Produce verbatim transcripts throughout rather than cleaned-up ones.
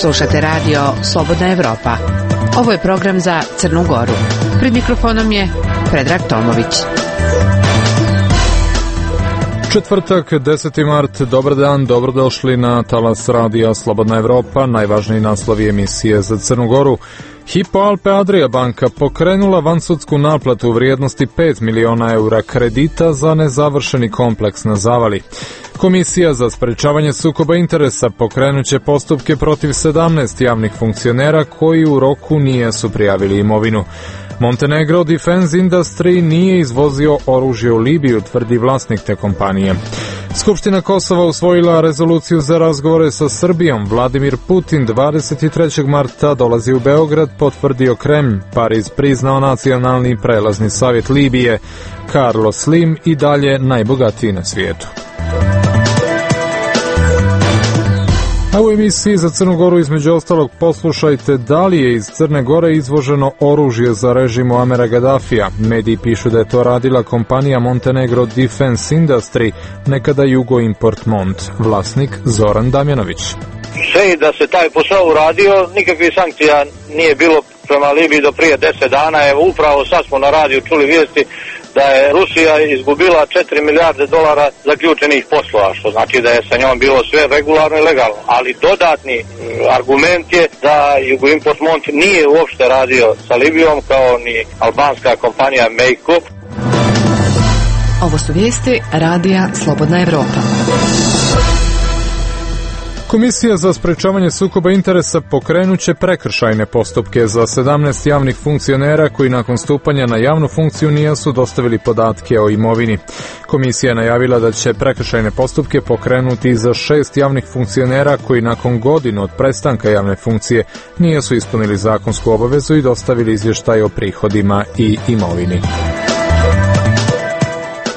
Slušate radio Slobodna Evropa. Ovo je program za Crnu Goru. Pred mikrofonom je Predrag Tomović. Četvrtak, deseti mart, dobar dan, dobrodošli na talas radija Slobodna Evropa, najvažniji naslovi emisije za Crnu Goru. Hypo Alpe Adria banka pokrenula vansudsku naplatu u vrijednosti pet miliona eura kredita za nezavršeni kompleks na Zavali. Komisija za sprečavanje sukoba interesa pokrenuće postupke protiv sedamnaest javnih funkcionera koji u roku nisu prijavili imovinu. Montenegro Defense Industry nije izvozio oružje u Libiju, tvrdi vlasnik te kompanije. Skupština Kosova usvojila rezoluciju za razgovore sa Srbijom. Vladimir Putin dvadeset trećeg marta dolazi u Beograd, potvrdio Kremlj. Pariz priznao nacionalni prelazni savjet Libije. Carlos Slim i dalje najbogatiji na svijetu. A u emisiji za Crnu Goru između ostalog poslušajte da li je iz Crne Gore izvoženo oružje za režim Muamera Gadafija. Mediji pišu da je to radila kompanija Montenegro Defense Industry, nekada Jugo Import Mont. Vlasnik Zoran Damjanović. Sve i da se taj posao uradio, nikakvih sankcija nije bilo prema Libiji do prije deset dana. Evo upravo sad smo na radiju čuli vijesti da je Rusija izgubila četiri milijarde dolara zaključenih poslova, što znači da je sa njom bilo sve regularno i legalno. Ali dodatni argument je da Jugo Import Mont nije uopšte radio sa Libijom, kao ni albanska kompanija Mejko. Ovo su vijesti radija Slobodna Evropa. Komisija za sprečavanje sukoba interesa pokrenuće prekršajne postupke za sedamnaest javnih funkcionera koji nakon stupanja na javnu funkciju nisu dostavili podatke o imovini. Komisija je najavila da će prekršajne postupke pokrenuti za šest javnih funkcionera koji nakon godinu od prestanka javne funkcije nisu ispunili zakonsku obavezu i dostavili izvještaj o prihodima i imovini.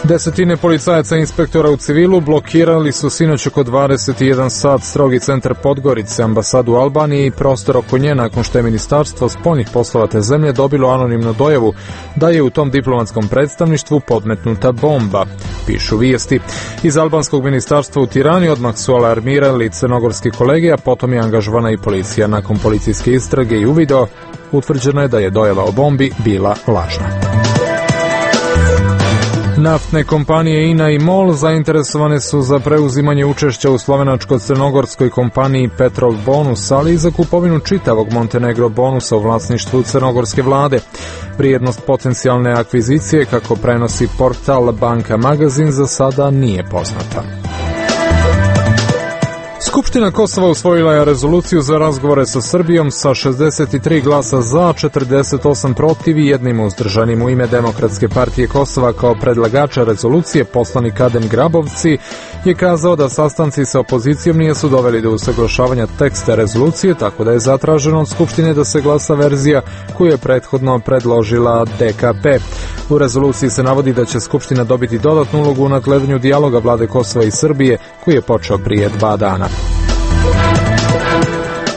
Desetine policajaca i inspektora u civilu blokirali su sinoć oko dvadeset jedan sat strogi centar Podgorice, ambasadu Albanije i prostor oko nje nakon što je Ministarstvo spoljnih poslova te zemlje dobilo anonimnu dojavu da je u tom diplomatskom predstavništvu podmetnuta bomba, pišu vijesti. Iz albanskog ministarstva u Tirani odmah su alarmirali crnogorski kolege, a potom je angažovana i policija. Nakon policijske istrage i uvida utvrđeno je da je dojava o bombi bila lažna. Naftne kompanije I N A i MOL zainteresovane su za preuzimanje učešća u slovenačko-crnogorskoj kompaniji Petrol Bonus, ali i za kupovinu čitavog Montenegro Bonusa u vlasništvu crnogorske vlade. Vrijednost potencijalne akvizicije, kako prenosi portal Banka Magazin, za sada nije poznata. Skupština Kosova usvojila je rezoluciju za razgovore sa Srbijom sa šezdeset tri glasa za, četrdeset osam protiv i jednim uzdržanim. U ime Demokratske partije Kosova kao predlagača rezolucije poslanik Adem Grabovci je kazao da sastanci sa opozicijom nisu doveli do usaglašavanja teksta rezolucije, tako da je zatraženo od Skupštine da se glasa verzija koju je prethodno predložila D K P. U rezoluciji se navodi da će Skupština dobiti dodatnu ulogu u nadgledanju dijaloga vlade Kosova i Srbije koji je počeo prije dva dana.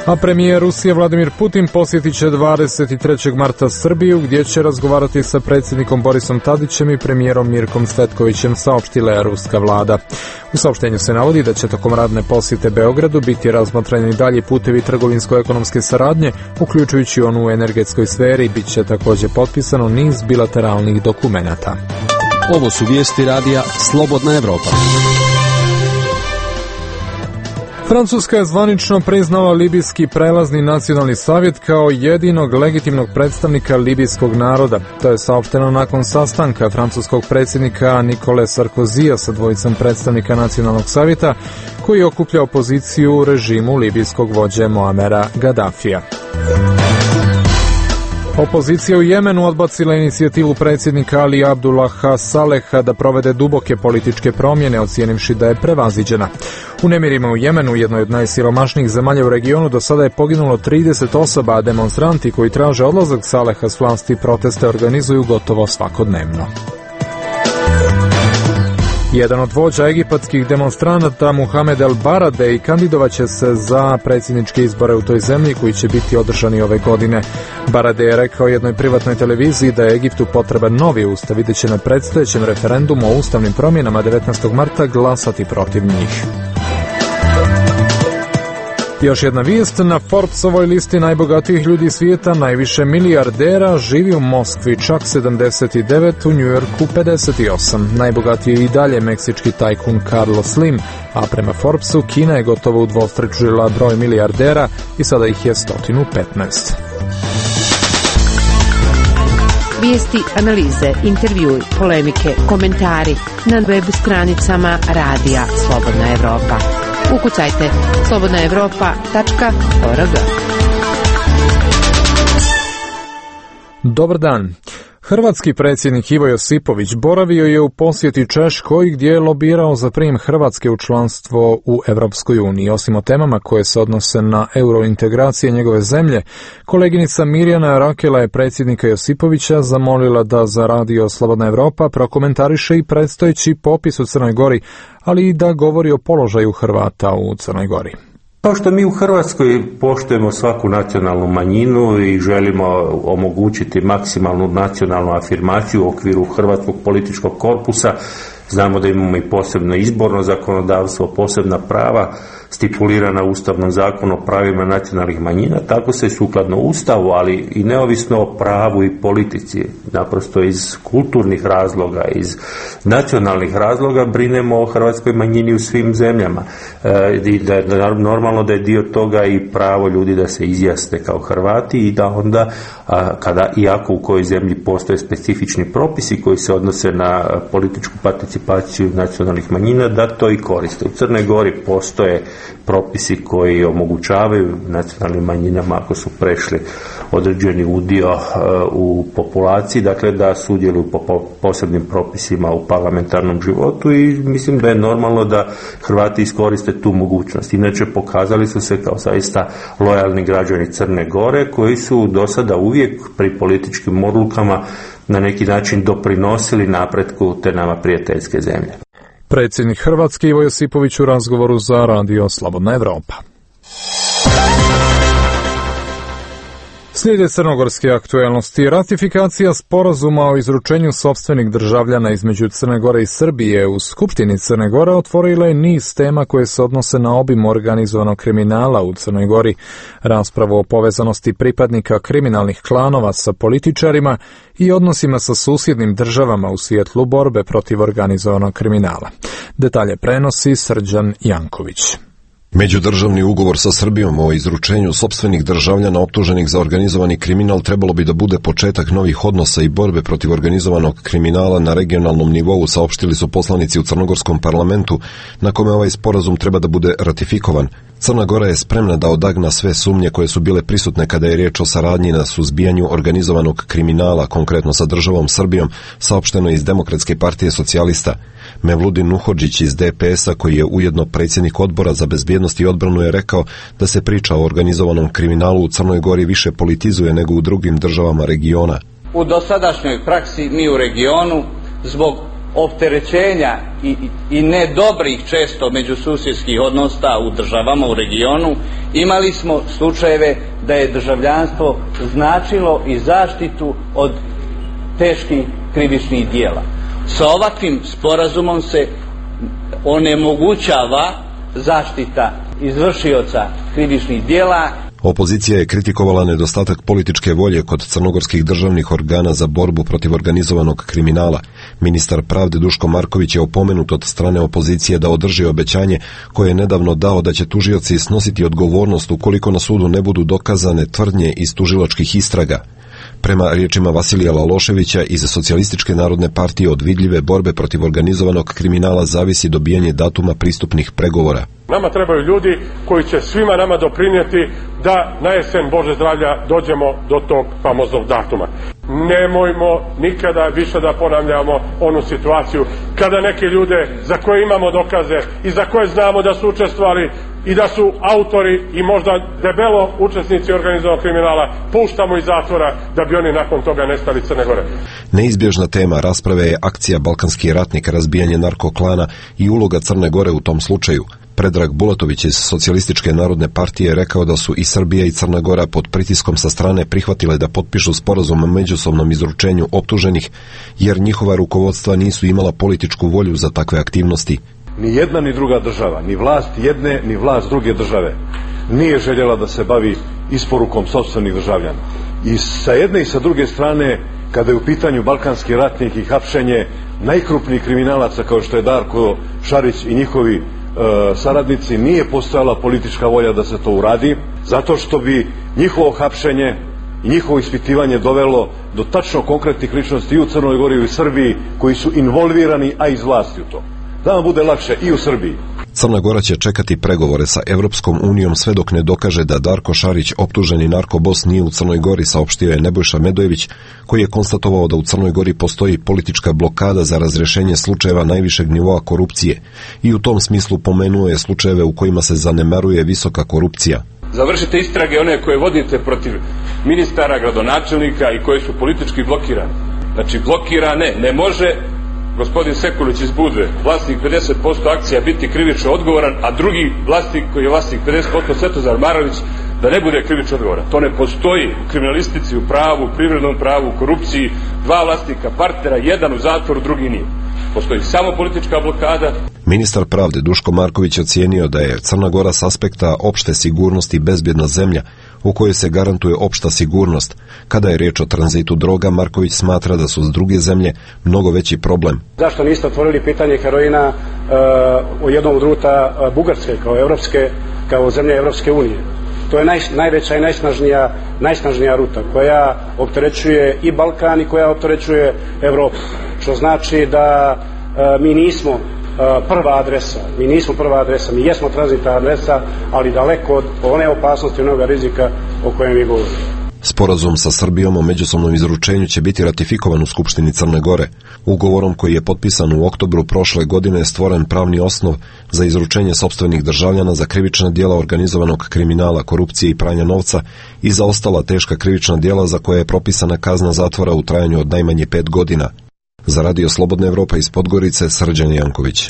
A premijer Rusije Vladimir Putin posjetit će dvadeset trećeg marta Srbiju, gdje će razgovarati sa predsjednikom Borisom Tadićem i premijerom Mirkom Cvetkovićem, saopštila je ruska vlada. U saopštenju se navodi da će tokom radne posjete Beogradu biti razmotreni dalji putevi trgovinsko-ekonomske saradnje, uključujući onu u energetskoj sferi. Bit će također potpisano niz bilateralnih dokumenata. Ovo su vijesti radija Slobodna Evropa. Francuska je zvanično priznala Libijski prelazni nacionalni savjet kao jedinog legitimnog predstavnika libijskog naroda. To je saopšteno nakon sastanka francuskog predsjednika Nikole Sarkozija sa dvojicom predstavnika nacionalnog savjeta koji okuplja opoziciju u režimu libijskog vođe Muamera Gadafija. Opozicija u Jemenu odbacila inicijativu predsjednika Ali Abdullaha Saleha da provede duboke političke promjene, ocijenivši da je prevaziđena. U nemirima u Jemenu, jednoj od najsiromašnijih zemalja u regionu, do sada je poginulo trideset osoba, a demonstranti koji traže odlazak Saleha s vlasti proteste organizuju gotovo svakodnevno. Jedan od vođa egipatskih demonstranata, Muhamed El Baradei, kandidovaće se za predsjedničke izbore u toj zemlji koji će biti održani ove godine. Baradei je rekao jednoj privatnoj televiziji da je Egiptu potreban novi ustav i da će na predstojećem referendumu o ustavnim promjenama devetnaestog marta glasati protiv njih. Još jedna vijest, na Forbesovoj listi najbogatijih ljudi svijeta najviše milijardera živi u Moskvi, čak sedamdeset devet, u Njujorku pedeset osam. Najbogatiji je i dalje meksički tajkun Carlos Slim, a prema Forbesu Kina je gotovo udvostručila broj milijardera i sada ih je sto petnaest. Vijesti, analize, intervjui, polemike, komentari na web stranicama Radija Slobodna Evropa. Ukucajte slobodna evropa tačka org. Dobar dan. Hrvatski predsjednik Ivo Josipović boravio je u posjeti Češkoj gdje je lobirao za prijem Hrvatske u članstvo u Europskoj uniji. Osim o temama koje se odnose na eurointegracije njegove zemlje, koleginica Mirjana Rakela je predsjednika Josipovića zamolila da za Radio Slobodna Evropa prokomentariše i predstojeći popis u Crnoj Gori, ali i da govori o položaju Hrvata u Crnoj Gori. Kao što mi u Hrvatskoj poštujemo svaku nacionalnu manjinu i želimo omogućiti maksimalnu nacionalnu afirmaciju u okviru hrvatskog političkog korpusa, znamo da imamo i posebno izborno zakonodavstvo, posebna prava stipulirana Ustavnom zakonu o pravima nacionalnih manjina, tako se sukladno Ustavu, ali i neovisno o pravu i politici, naprosto iz kulturnih razloga, iz nacionalnih razloga brinemo o hrvatskoj manjini u svim zemljama. E, i da je normalno da je dio toga i pravo ljudi da se izjasne kao Hrvati i da onda, a, kada iako u kojoj zemlji postoje specifični propisi koji se odnose na političku participaciju nacionalnih manjina, da to i koriste. U Crnoj Gori postoje propisi koji omogućavaju nacionalnim manjinama, ako su prešli određeni udio uh, u populaciji, dakle da sudjeluju po posebnim propisima u parlamentarnom životu i mislim da je normalno da Hrvati iskoriste tu mogućnost. Inače pokazali su se kao zaista lojalni građani Crne Gore koji su do sada uvijek pri političkim odlukama na neki način doprinosili napretku te nama prijateljske zemlje. Predsjednik Hrvatske Ivo Josipović u razgovoru za Radio Slobodna Evropa. Slijede crnogorske aktualnosti. Ratifikacija sporazuma o izručenju sopstvenih državljana između Crne Gore i Srbije u Skupštini Crne Gore otvorila je niz tema koje se odnose na obim organizovanog kriminala u Crnoj Gori, raspravu o povezanosti pripadnika kriminalnih klanova sa političarima i odnosima sa susjednim državama u svjetlu borbe protiv organizovanog kriminala. Detalje prenosi Srđan Janković. Međudržavni ugovor sa Srbijom o izručenju sopstvenih državljana optuženih za organizovani kriminal trebalo bi da bude početak novih odnosa i borbe protiv organizovanog kriminala na regionalnom nivou, saopštili su poslanici u crnogorskom parlamentu, na kome ovaj sporazum treba da bude ratifikovan. Crna Gora je spremna da odagna sve sumnje koje su bile prisutne kada je riječ o saradnji na suzbijanju organizovanog kriminala, konkretno sa državom Srbijom, saopšteno je iz Demokratske partije socijalista. Mevludin Nuhodžić iz D P S-a, koji je ujedno predsjednik odbora za bezbjednost i odbranu, je rekao da se priča o organizovanom kriminalu u Crnoj Gori više politizuje nego u drugim državama regiona. U dosadašnjoj praksi mi u regionu zbog opterećenja i, i nedobrih često međususjedskih odnosa u državama u regionu imali smo slučajeve da je državljanstvo značilo i zaštitu od teških krivičnih dijela. Sa ovakvim sporazumom se onemogućava zaštita izvršioca krivičnih dijela. Opozicija je kritikovala nedostatak političke volje kod crnogorskih državnih organa za borbu protiv organizovanog kriminala. Ministar pravde Duško Marković je opomenut od strane opozicije da održi obećanje koje je nedavno dao da će tužioci snositi odgovornost ukoliko na sudu ne budu dokazane tvrdnje iz tužilačkih istraga. Prema riječima Vasilija Laloševića iz Socijalističke narodne partije od vidljive borbe protiv organizovanog kriminala zavisi dobijanje datuma pristupnih pregovora. Nama trebaju ljudi koji će svima nama doprinijeti da na jesen Bože zdravlja dođemo do tog famoznog datuma. Nemojmo nikada više da ponavljamo onu situaciju kada neke ljude za koje imamo dokaze i za koje znamo da su učestvovali i da su autori i možda debelo učesnici organizovanog kriminala puštamo iz zatvora da bi oni nakon toga nestali Crne Gore. Neizbježna tema rasprave je akcija Balkanski ratnik, razbijanje narkoklana i uloga Crne Gore u tom slučaju. Predrag Bulatović iz Socijalističke narodne partije rekao da su i Srbija i Crna Gora pod pritiskom sa strane prihvatile da potpišu sporazum o međusobnom izručenju optuženih, jer njihova rukovodstva nisu imala političku volju za takve aktivnosti. Ni jedna ni druga država, ni vlast jedne ni vlast druge države nije željela da se bavi isporukom sopstvenih državljana. I sa jedne i sa druge strane, kada je u pitanju Balkanski ratnik i hapšenje najkrupnijih kriminalaca kao što je Darko Šarić i njihovi e, saradnici, nije postojala politička volja da se to uradi, zato što bi njihovo hapšenje i njihovo ispitivanje dovelo do tačno konkretnih ličnosti i u Crnoj Gori i u Srbiji koji su involvirani, a iz vlasti u to. Da vam bude lakše i u Srbiji. Crna Gora će čekati pregovore sa Evropskom unijom sve dok ne dokaže da Darko Šarić, optuženi narkobos, nije u Crnoj Gori, saopštio je Nebojša Medojević, koji je konstatovao da u Crnoj Gori postoji politička blokada za razrješenje slučajeva najvišeg nivoa korupcije i u tom smislu pomenuo je slučajeve u kojima se zanemaruje visoka korupcija. Završite istrage one koje vodite protiv ministara, gradonačelnika i koje su politički blokirane. Znači blokirane, ne može gospodin Sekulić iz Budve, vlasnik pedeset posto akcija, biti krivično odgovoran, a drugi vlasnik koji je vlasnik pedeset posto Svetozar Marović da ne bude krivično odgovoran. To ne postoji u kriminalistici, u pravu, u privrednom pravu, u korupciji, dva vlasnika partnera, jedan u zatvoru, drugi nije. Postoji samo politička blokada. Ministar pravde Duško Marković ocijenio da je Crna Gora s aspekta opšte sigurnosti bezbjedna zemlja u kojoj se garantuje opšta sigurnost. Kada je riječ o tranzitu droga, Marković smatra da su s druge zemlje mnogo veći problem. Zašto niste otvorili pitanje heroina uh, u jednom od ruta uh, Bugarske kao evropske, kao zemlje Evropske unije? To je naj, najveća i najsnažnija, najsnažnija ruta koja opterećuje i Balkan i koja opterećuje Evropu. Što znači da uh, mi nismo prva adresa. Mi nismo prva adresa, mi jesmo tranzitna adresa, ali daleko od one opasnosti i onoga rizika o kojem vi govorite. Sporazum sa Srbijom o međusobnom izručenju će biti ratifikovan u Skupštini Crne Gore. Ugovorom koji je potpisan u oktobru prošle godine je stvoren pravni osnov za izručenje sopstvenih državljana za krivična djela organizovanog kriminala, korupcije i pranja novca i za ostala teška krivična djela za koje je propisana kazna zatvora u trajanju od najmanje pet godina. Za Radio Slobodna Evropa iz Podgorice, Srđan Janković.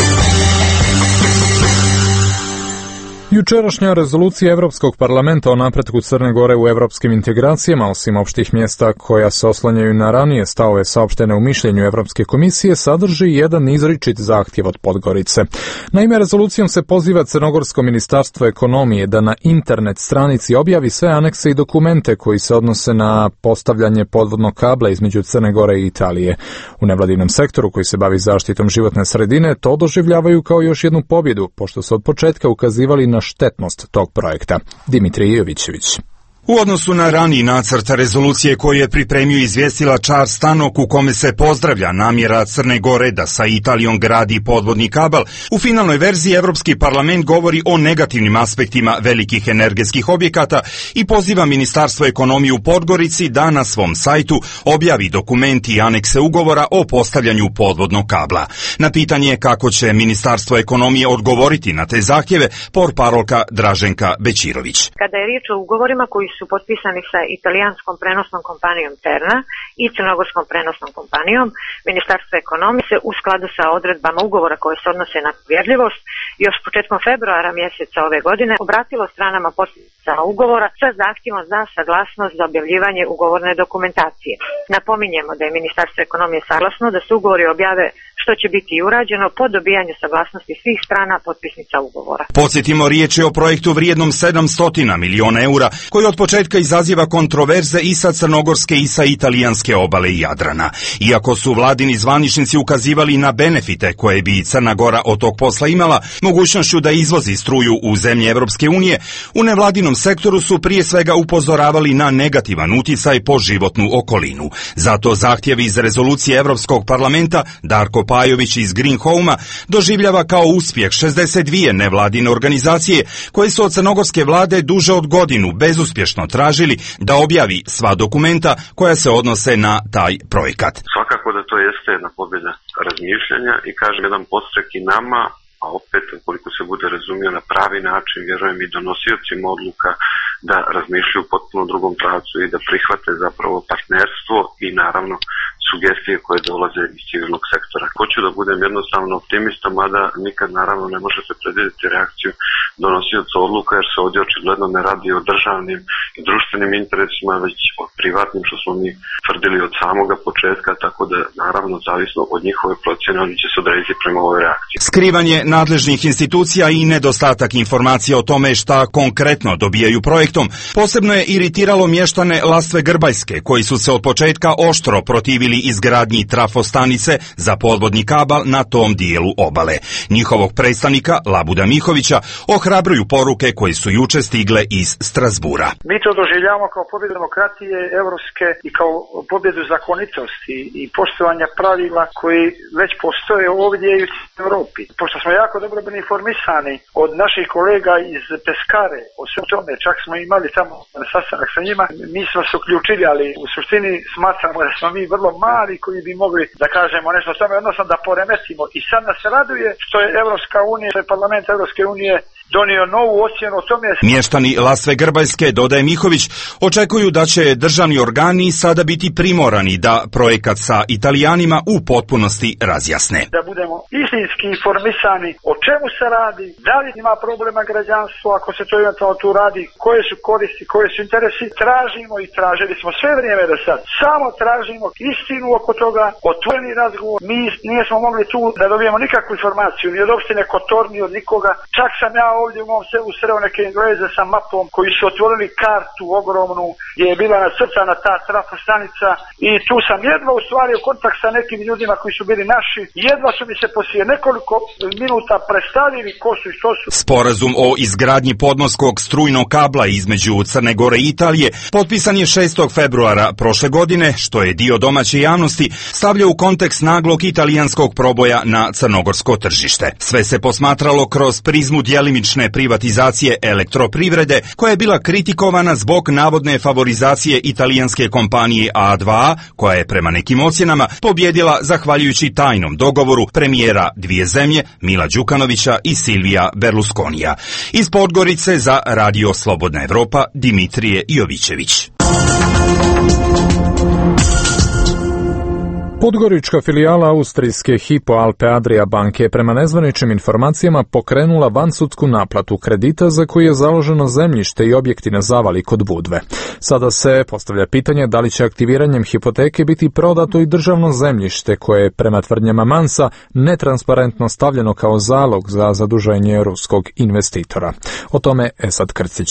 Jučerašnja rezolucija Evropskog parlamenta o napretku Crne Gore u evropskim integracijama, osim opštih mjesta koja se oslanjaju na ranije stavove saopštene u mišljenju Evropske komisije, sadrži jedan izričit zahtjev od Podgorice. Naime, rezolucijom se poziva Crnogorsko ministarstvo ekonomije da na internet stranici objavi sve anekse i dokumente koji se odnose na postavljanje podvodnog kabla između Crne Gore i Italije. U nevladinom sektoru koji se bavi zaštitom životne sredine to doživljavaju kao još jednu pobjedu, pošto su od početka ukazivali na štetnost tog projekta. Dimitrij Jovićević. U odnosu na raniji nacrt rezolucije koju je pripremio izvjestila Charles Tannock, u kome se pozdravlja namjera Crne Gore da sa Italijom gradi podvodni kabel, u finalnoj verziji Evropski parlament govori o negativnim aspektima velikih energetskih objekata i poziva Ministarstvo ekonomije u Podgorici da na svom sajtu objavi dokumenti i anekse ugovora o postavljanju podvodnog kabla. Na pitanje kako će Ministarstvo ekonomije odgovoriti na te zahtjeve, portparolka Draženka Bećirović. Kada je riječ o ugovorima koji su potpisani sa italijanskom prenosnom kompanijom Terna i crnogorskom prenosnom kompanijom, Ministarstvo ekonomije se u skladu sa odredbama ugovora koje se odnose na povjerljivost još početkom februara mjeseca ove godine obratilo stranama potpisnica ugovora sa zahtjevom za saglasnost za objavljivanje ugovorne dokumentacije. Napominjemo da je Ministarstvo ekonomije saglasno da se ugovori objave, što će biti i urađeno po dobijanju saglasnosti svih strana potpisnica ugovora. Podsjetimo, riječ je o projektu vrijednom sedamsto miliona eura, koji od početka izaziva kontroverze i sa crnogorske i sa italijanske obale i Jadrana. Iako su vladini zvaničnici ukazivali na benefite koje bi Crna Gora od tog posla imala, mogućnošću da izvozi struju u zemlje Evropske unije, u nevladinom sektoru su prije svega upozoravali na negativan uticaj po životnu okolinu. Zato zahtjev iz rezolucije Evropskog parlamenta Darko Pajović iz Green Home-a doživljava kao uspjeh šezdeset dvije nevladine organizacije koje su od crnogorske vlade duže od godinu bezuspješno tražili da objavi sva dokumenta koja se odnose na taj projekat. Svakako da to jeste jedna pobjeda razmišljanja i kažem jedan podstrek i nama a opet, ukoliko se bude razumio na pravi način, vjerujem i donosiocima odluka da razmišljaju u potpuno drugom pravcu i da prihvate zapravo partnerstvo i naravno sugestije koje dolaze iz civilnog sektora. Hoću da budem jednostavno optimista, mada nikad naravno ne možete predvidjeti reakciju donosioca odluka, jer se ovdje očigledno ne radi o državnim i društvenim interesima, već o privatnim, što smo mi tvrdili od samoga početka, tako da naravno zavisno od njihove procjene oni će se odrediti prema ovoj reakciji. Skrivanje nadležnih institucija i nedostatak informacija o tome šta konkretno dobijaju projektom posebno je iritiralo mještane Lastve Grbajske, koji su se od početka oštro protivili izgradnji trafostanice za podvodni kabal na tom dijelu obale. Njihovog predstavnika Labuda Mihovića ohrabruju poruke koje su juče stigle iz Strasbura. Mi to doživljavamo kao pobjedu demokratije evropske i kao pobjedu zakonitosti i poštovanja pravila koji već postoje ovdje i u Europi. Pošto smo jako dobro bili informisani od naših kolega iz Peskare o svem tome, čak smo imali tamo sastanak sa njima, mi smo se uključili, ali u suštini smatramo da smo mi vrlo mali koji bi mogli da kažemo nešto o tome, odnosno da poremetimo. I sad nas raduje što je Evropska unija, što je parlament Evropske unije donio novu ocjenu o tome. Mještani Lastve Grbajske, dodaje Mihović, očekuju da će državni organi sada biti primorani da projekat sa Italijanima u potpunosti razjasne. Da budemo istinski informisani o čemu se radi, da li ima problema građanstvo, ako se to eventualno tu radi, koje su koristi, koje su interesi, tražimo i tražili smo sve vrijeme do sad. Samo tražimo istinu oko toga, otvoreni razgovor. Mi nismo mogli tu da dobijemo nikakvu informaciju, ni od opštine Kotor, ni od nikoga. Čak sam ja ovdje u mom selu sreo neke Engleze sa mapom koji su otvorili kartu ogromnu gdje je bila nacrtana ta trafostanica i tu sam jedva ustvario kontakt sa nekim ljudima koji su bili naši. Jedva su mi se poslije nekoliko minuta predstavili ko su i što su. Sporazum o izgradnji podmorskog strujnog kabla između Crne Gore i Italije potpisan je šestog februara prošle godine, što je dio domaće javnosti stavlja u kontekst naglog italijanskog proboja na crnogorsko tržište. Sve se posmatralo kroz prizmu djelimične privatizacije elektroprivrede, koja je bila kritikovana zbog navodne favorizacije italijanske kompanije A dva A, koja je prema nekim ocjenama pobjedila zahvaljujući tajnom dogovoru premijera dvije zemlje Mila Đukanovića i Silvija Berlusconija. Iz Podgorice za Radio Slobodna Evropa Dimitrije Jovićević. Podgorička filijala austrijske Hypo Alpe Adria banke je prema nezvaničnim informacijama pokrenula vansudsku naplatu kredita za koji je založeno zemljište i objekti na Zavali kod Budve. Sada se postavlja pitanje da li će aktiviranjem hipoteke biti prodato i državno zemljište koje je prema tvrdnjama Mansa netransparentno stavljeno kao zalog za zaduženje ruskog investitora. O tome Esad Krcić.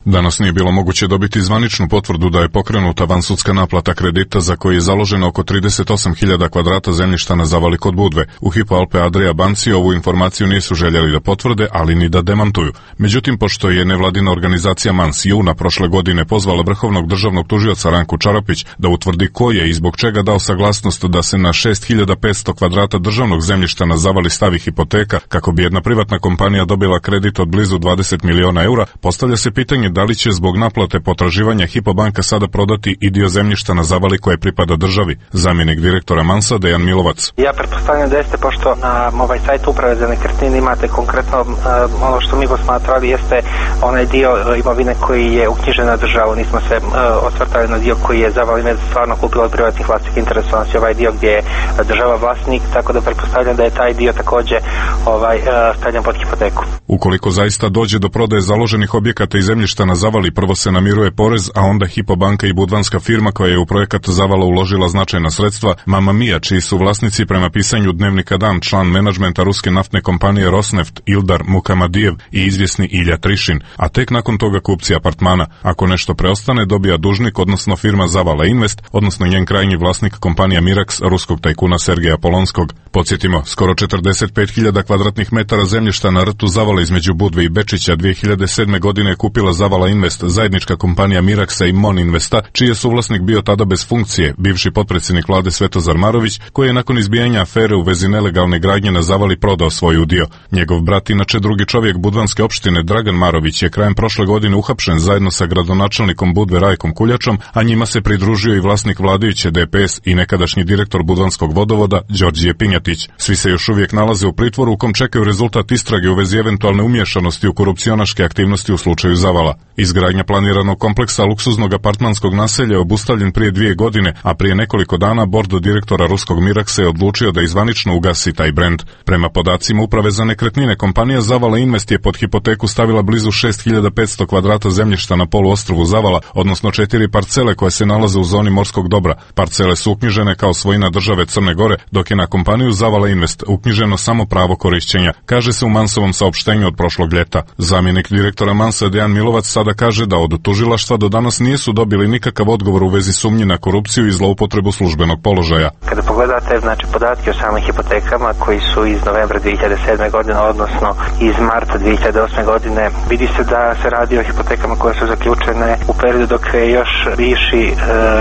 Danas nije bilo moguće dobiti zvaničnu potvrdu da je pokrenuta vansudska naplata kredita za koji je založeno oko trideset osam hiljada kvadrata zemljišta na Zavali kod Budve. U Hypo Alpe Adria banci ovu informaciju nisu željeli da potvrde, ali ni da demantuju. Međutim, pošto je nevladina organizacija Mans juna prošle godine pozvala vrhovnog državnog tužioca Ranku Čarapić da utvrdi ko je i zbog čega dao saglasnost da se na šest hiljada petsto kvadrata državnog zemljišta na Zavali stavi hipoteka kako bi jedna privatna kompanija dobila kredit od blizu dvadeset miliona eura, postavlja se pitanje da li će zbog naplate potraživanja Hypo banka sada prodati i dio zemljišta na Zavali koje pripada državi. Zamjenik direktora Mansa Dejan Milovac. Ja pretpostavljam da jeste, pošto na ovaj sajt uprave za nekretnine imate konkretno uh, ono što mi posmatrali jeste onaj dio uh, imovine koji je uknjižen na državu. Nismo se uh, osvrtali na dio koji je Zavali Invest stvarno kupilo od privatnih vlasnika interesa, znači ovaj dio gdje je država vlasnik, tako da pretpostavljam da je taj dio također ovaj, uh, stavljen pod hipoteku. Ukoliko zaista dođe do prodaje založenih objekata i zemljišta na Zavali, prvo se namiruje porez, a onda Hypo banka i budvanska firma koja je u projekat Zavala uložila značajna sredstva, Mama Mia, čiji su vlasnici prema pisanju Dnevnika Dan član menadžmenta ruske naftne kompanije Rosneft Ildar Mukamadijev i izvjesni Ilja Trišin, a tek nakon toga kupci apartmana. Ako nešto preostane, dobija dužnik, odnosno firma Zavala Invest, odnosno njen krajnji vlasnik kompanija Mirax ruskog tajkuna Sergeja Polonskog. Podsjetimo, skoro četrdeset pet hiljada kvadratnih metara zemljišta na rtu Zavala između Budve i Bečića dvije hiljade sedme godine je kupila Zavala Zavala Invest, zajednička kompanija Miraksa i Mon Investa, čiji je suvlasnik bio tada bez funkcije, bivši potpredsjednik vlade Svetozar Marović, koji je nakon izbijanja afere u vezi nelegalne gradnje na Zavali prodao svoj udio. Njegov brat, inače drugi čovjek budvanske opštine Dragan Marović, je krajem prošle godine uhapšen zajedno sa gradonačelnikom Budve Rajkom Kuljačom, a njima se pridružio i vlasnik vladajuće D P S i nekadašnji direktor budvanskog vodovoda Đorđije Pinjatić. Svi se još uvijek nalaze u pritvoru u kom čekaju rezultat istrage u vezi eventualne umješanosti u korupcionaške aktivnosti u slučaju Zavala. Izgradnja planiranog kompleksa luksuznog apartmanskog naselja je obustavljen prije dvije godine, a prije nekoliko dana bord direktora ruskog Miraksa je odlučio da izvanično ugasi taj brend. Prema podacima Uprave za nekretnine, kompanija Zavala Invest je pod hipoteku stavila blizu šest hiljada petsto kvadrata zemljišta na poluostrvu Zavala, odnosno četiri parcele koje se nalaze u zoni morskog dobra. Parcele su uknjižene kao svojina države Crne Gore, dok je na kompaniju Zavala Invest uknjiženo samo pravo korišćenja, kaže se u Mansovom saopštenju od prošlog ljeta. Zamjenik direktora Mansa Dejan Milovac sada kaže da od tužilaštva do danas nisu dobili nikakav odgovor u vezi sumnji na korupciju i zloupotrebu službenog položaja. Kada pogledate znači podatke o samim hipotekama koji su iz novembra dvije hiljade sedme godine, odnosno iz marta dvije hiljade osme godine, vidi se da se radi o hipotekama koje su zaključene u periodu dok je još bivši e,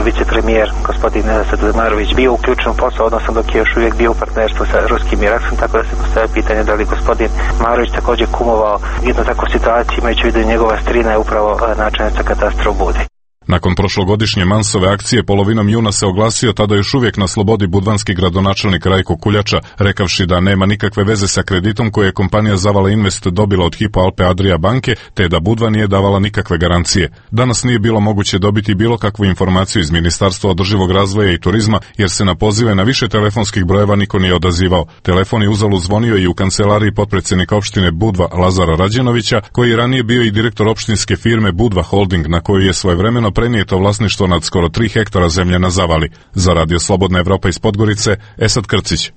vicepremijer gospodin Svetozar Marović bio uključen u posao, odnosno dok je još uvijek bio u partnerstvu sa ruskim Miraksom, tako da se postavlja pitanje da li gospodin Marović također kumovao jednu takvu situaciju, imajući u vidu njegova strina je upravo načelnica katastra u Budi. Nakon prošlogodišnje Mansove akcije polovinom juna se oglasio tada još uvijek na slobodi budvanski gradonačelnik Rajko Kuljača, rekavši da nema nikakve veze sa kreditom koje je kompanija Zavala Invest dobila od Hypo Alpe Adria banke, te da Budva nije davala nikakve garancije. Danas nije bilo moguće dobiti bilo kakvu informaciju iz Ministarstva održivog razvoja i turizma, jer se na pozive na više telefonskih brojeva niko nije odazivao. Telefon je uzalud zvonio i u kancelariji potpredsjednika opštine Budva Lazara Rađenovića, koji je ranije bio i direktor opštinske firme Budva Holding, na koju je svojevremeno prenijeto vlasništvo nad skoro tri hektara zemlje na Zavali. Za Radio Slobodna Evropa iz Podgorice, Esad Krcić.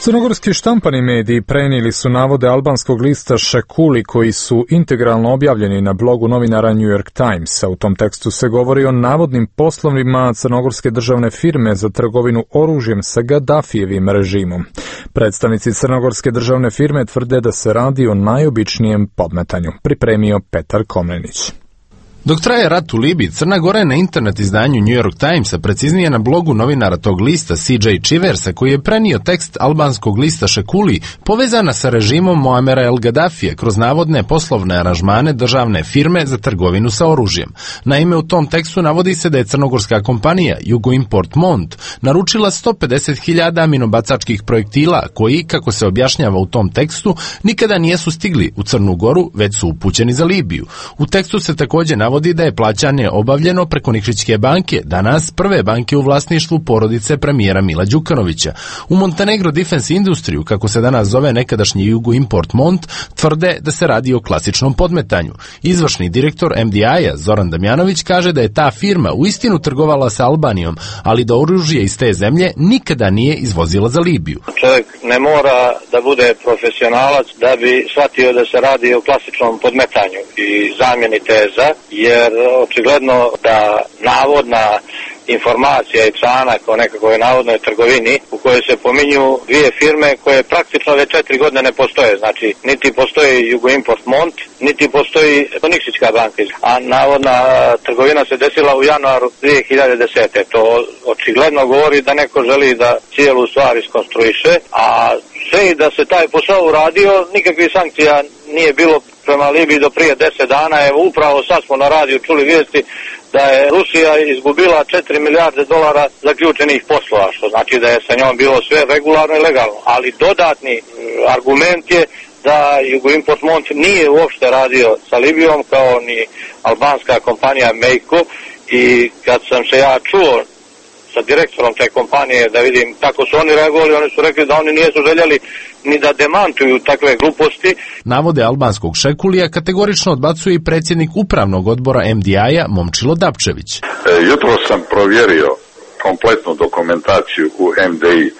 Crnogorski štampani mediji prenijeli su navode albanskog lista Šekuli koji su integralno objavljeni na blogu novinara New York Timesa. U tom tekstu se govori o navodnim poslovima crnogorske državne firme za trgovinu oružjem sa Gaddafijevim režimom. Predstavnici crnogorske državne firme tvrde da se radi o najobičnijem podmetanju. Pripremio Petar Komnenić. Dok traje rat u Libiji, Crna Gora je na internet izdanju New York Timesa, preciznije na blogu novinara tog lista C J Chiversa, koji je prenio tekst albanskog lista Šekuli, povezana sa režimom Muamera El Gaddafije kroz navodne poslovne aranžmane državne firme za trgovinu sa oružjem. Naime, u tom tekstu navodi se da je crnogorska kompanija Jugoimport Mont naručila sto pedeset hiljada aminobacačkih projektila koji, kako se objašnjava u tom tekstu, nikada nisu stigli u Crnu Goru, već su upućeni za Libiju. U tekstu se također navodi da je plaćanje obavljeno preko Nikšićke banke, danas prve banke u vlasništvu porodice premijera Mila Đukanovića. U Montenegro Defense Industriju, kako se danas zove nekadašnji Jugoimport Mont, tvrde da se radi o klasičnom podmetanju. Izvršni direktor M D I-a Zoran Damjanović kaže da je ta firma uistinu trgovala sa Albanijom, ali da oružje iz te zemlje nikada nije izvozila za Libiju. Čovjek ne mora da bude profesionalac da bi shvatio da se radi o klasičnom podmetanju i zamjeni teza, jer očigledno da navodna informacija i članak o nekakvoj navodnoj trgovini u kojoj se pominju dvije firme koje praktično već četiri godine ne postoje. Znači, niti postoji Jugoimport Mont, niti postoji Nikšićka banka. A navodna trgovina se desila u januaru dvije hiljade desete. To očigledno govori da neko želi da cijelu stvar iskonstruiše, a sve i da se taj posao uradio, nikakvih sankcija nije bilo prema Libiji do prije deset dana. Evo, upravo sad smo na radiju čuli vijesti da je Rusija izgubila četiri milijarde dolara zaključenih poslova, što znači da je sa njom bilo sve regularno i legalno. Ali dodatni argument je da Jugoimport Mont nije uopšte radio sa Libijom kao ni albanska kompanija Mejko, i kad sam se ja čuo sa direktorom te kompanije da vidim kako su oni reagovali, oni su rekli da oni nisu željeli ni da demantuju takve gluposti. Navode albanskog Šekulija kategorično odbacuje i predsjednik upravnog odbora M D I-a Momčilo Dapčević. E, jutro sam provjerio kompletnu dokumentaciju u M D I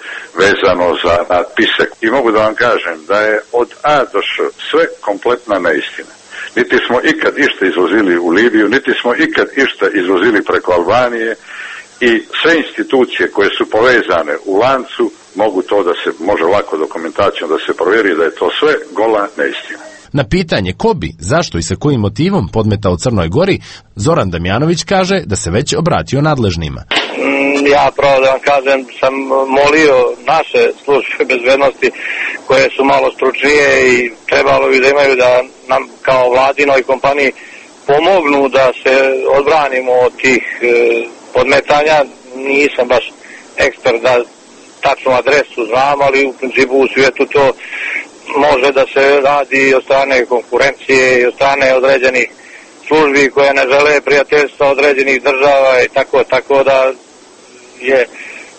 vezano za natpise i mogu da vam kažem da je od A do Š sve kompletna neistina. Niti smo ikad išta izvozili u Libiju, niti smo ikad išta izvozili preko Albanije, i sve institucije koje su povezane u lancu mogu to da se, može lako dokumentacijom da se provjeri da je to sve gola neistina. Na pitanje ko bi, zašto i sa kojim motivom podmetao Crnoj Gori, Zoran Damjanović kaže da se već obratio nadležnima. Ja pravo da vam kažem, sam molio naše službe bezbednosti koje su malo stručnije i trebalo bi da imaju da nam kao vladinoj kompaniji pomognu da se odbranimo od tih e, podmetanja. Nisam baš ekspert da tačnu adresu znam, ali u principu u svijetu to može da se radi od strane konkurencije i od strane određenih službi koje ne žele prijateljstva određenih država i tako, tako da je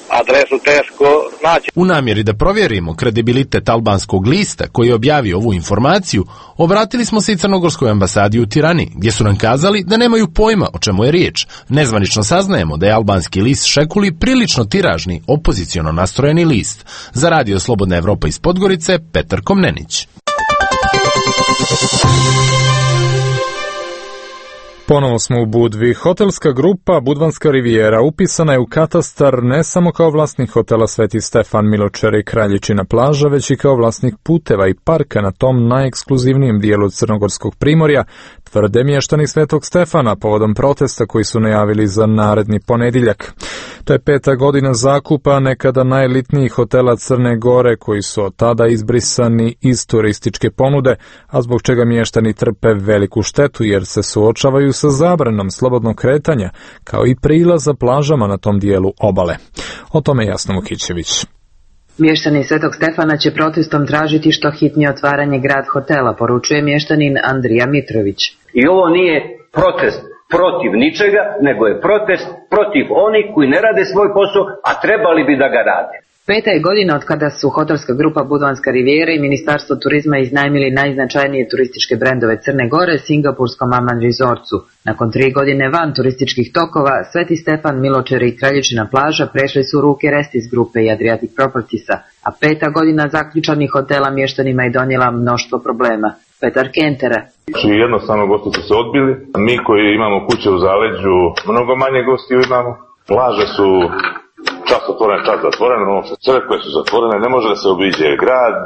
adresu teško naći. U namjeri da provjerimo kredibilitet albanskog lista koji je objavio ovu informaciju, obratili smo se i crnogorskoj ambasadi u Tirani, gdje su nam kazali da nemaju pojma o čemu je riječ. Nezvanično saznajemo da je albanski list Šekuli prilično tiražni, opoziciono nastrojeni list. Za Radio Slobodna Evropa iz Podgorice, Petar Komnenić. Ponovo smo u Budvi. Hotelska grupa Budvanska rivijera upisana je u katastar ne samo kao vlasnik hotela Sveti Stefan, Miločer i Kraljičina plaža, već i kao vlasnik puteva i parka na tom najekskluzivnijem dijelu crnogorskog primorja, tvrde mještani Svetog Stefana povodom protesta koji su najavili za naredni ponedjeljak. To je peta godina zakupa nekada najelitnijih hotela Crne Gore koji su od tada izbrisani iz turističke ponude, a zbog čega mještani trpe veliku štetu jer se suočavaju sa zabranom slobodnog kretanja, kao i prilaza plažama na tom dijelu obale. O tome Jasna Vukićević. Mještani Svetog Stefana će protestom tražiti što hitnije otvaranje grad hotela, poručuje mještanin Andrija Mitrović. I ovo nije protest protiv ničega, nego je protest protiv onih koji ne rade svoj posao, a trebali bi da ga rade. Peta je godina od kada su hotelska grupa Budvanska rivijera i Ministarstvo turizma iznajmili najznačajnije turističke brendove Crne Gore singapurskom Aman Resortsu. Nakon tri godine van turističkih tokova, Sveti Stefan, Miločer i Kraljičina plaža prešli su u ruke Restis grupe i Adriatic Propertiesa, a peta godina zaključanih hotela mještanima je donijela mnoštvo problema. Petar Kentera. Jednostavno gosti su se odbili. Mi koji imamo kuće u zaleđu, mnogo manje gostiju imamo. Plaže su čas otvorene, čas zatvorene, crkve su zatvorene, ne može da se obiđe grad,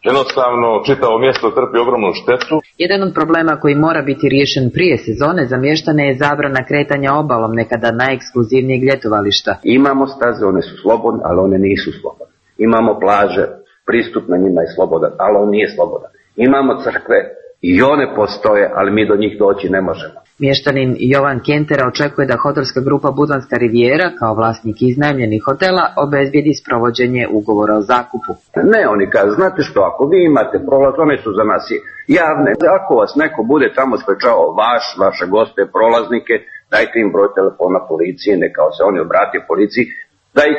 jednostavno čitavo mjesto trpi ogromnu štetu. Jedan od problema koji mora biti riješen prije sezone za mještane je zabrana kretanja obalom nekada najekskluzivnijeg ljetovališta. Imamo staze, one su slobodne, ali one nisu slobodne. Imamo plaže, pristup na njima je slobodan, ali on nije slobodan. Imamo crkve i one postoje, ali mi do njih doći ne možemo. Mještanin Jovan Kentera očekuje da hotelska grupa Budvanska rivijera, kao vlasnik iznajmljenih hotela, obezbijedi sprovođenje ugovora o zakupu. Ne, oni kažu, znate što, ako vi imate prolaz, one su za nas javne. Ako vas neko bude tamo sprečavao vaš, vaše goste, prolaznike, dajte im broj telefona policije, neka se oni obrate policiji, da ih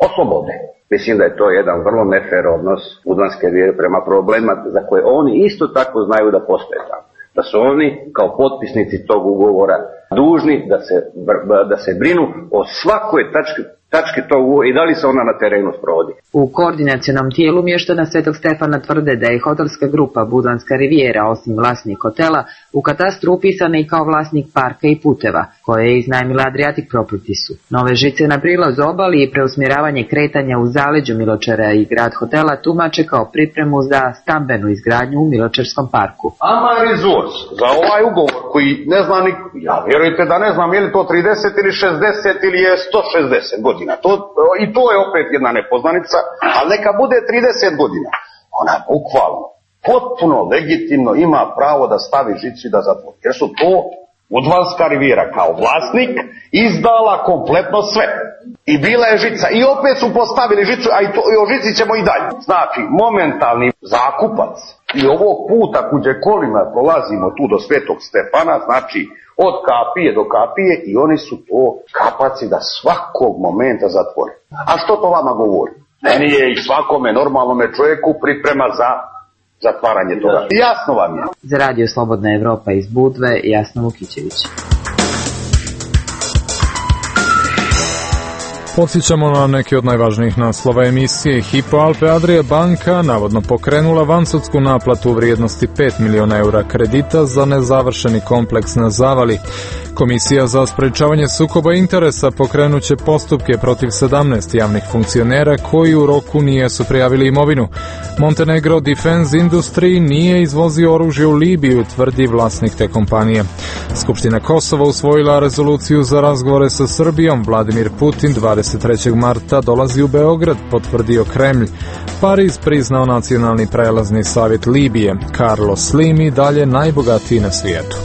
oslobode. Mislim da je to jedan vrlo nefer odnos Budvanske rivijere prema problema za koje oni isto tako znaju da postoje tamo. Da su oni kao potpisnici tog ugovora dužni da se, da se brinu o svakoj tački, tački tog ugovora i da li se ona na terenu sprovodi. U koordinacionom tijelu mještana Svetog Stefana tvrde da je hotelska grupa Budvanska rivijera, osim vlasnik hotela, u katastru upisana i kao vlasnik parka i puteva, koje je iznajmila Adriatic Propertiesu. Nove žice na prilaz obali i preusmjeravanje kretanja u zaleđu Miločera i grad hotela tumače kao pripremu za stambenu izgradnju u Miločerskom parku. Aman Resorts, za ovaj ugovor koji ne zna ni, ja vjerujte da ne znam je li to trideset ili šezdeset ili je sto šezdeset godina. To, i to je opet jedna nepoznanica, ali neka bude trideset godina. Ona bukvalno, potpuno legitimno ima pravo da stavi žicu i da zatvori. Jer su to Budvanska rivijera kao vlasnik izdala kompletno sve. I bila je žica. I opet su postavili žicu, a i, to, i o žici ćemo i dalje. Znači, momentalni zakupac i ovog puta kuđe kolima prolazimo tu do Svetog Stefana, znači od kapije do kapije i oni su to kapaci da svakog momenta zatvore. A što to vama govori? Meni je i svakome normalnome čovjeku priprema za zatvaranje toga. Jasno vam je. Za Radio Slobodna Evropa iz Budve, Jasna Vukićević. Podsjećamo na neke od najvažnijih naslova emisije. Hypo Alpe Adria banka navodno pokrenula vansudsku naplatu u vrijednosti pet miliona eura kredita za nezavršeni kompleks na Zavali. Komisija za sprečavanje sukoba interesa pokrenuće postupke protiv sedamnaest javnih funkcionera koji u roku nijesu prijavili imovinu. Montenegro Defense Industry nije izvozio oružje u Libiju, tvrdi vlasnik te kompanije. Skupština Kosova usvojila rezoluciju za razgovore sa Srbijom. Vladimir Putin dvadeset trećeg marta dolazi u Beograd, potvrdio Kremlj. Pariz priznao nacionalni prelazni savjet Libije. Carlos Slim i dalje najbogatiji na svijetu.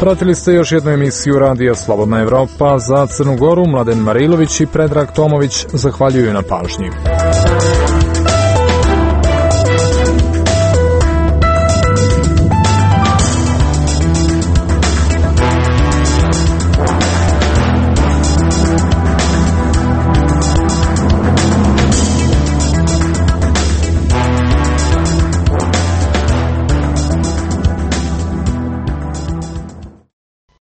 Pratili ste još jednu emisiju Radija Slobodna Evropa. Za Crnu Goru Mladen Marilović i Predrag Tomović zahvaljuju na pažnji.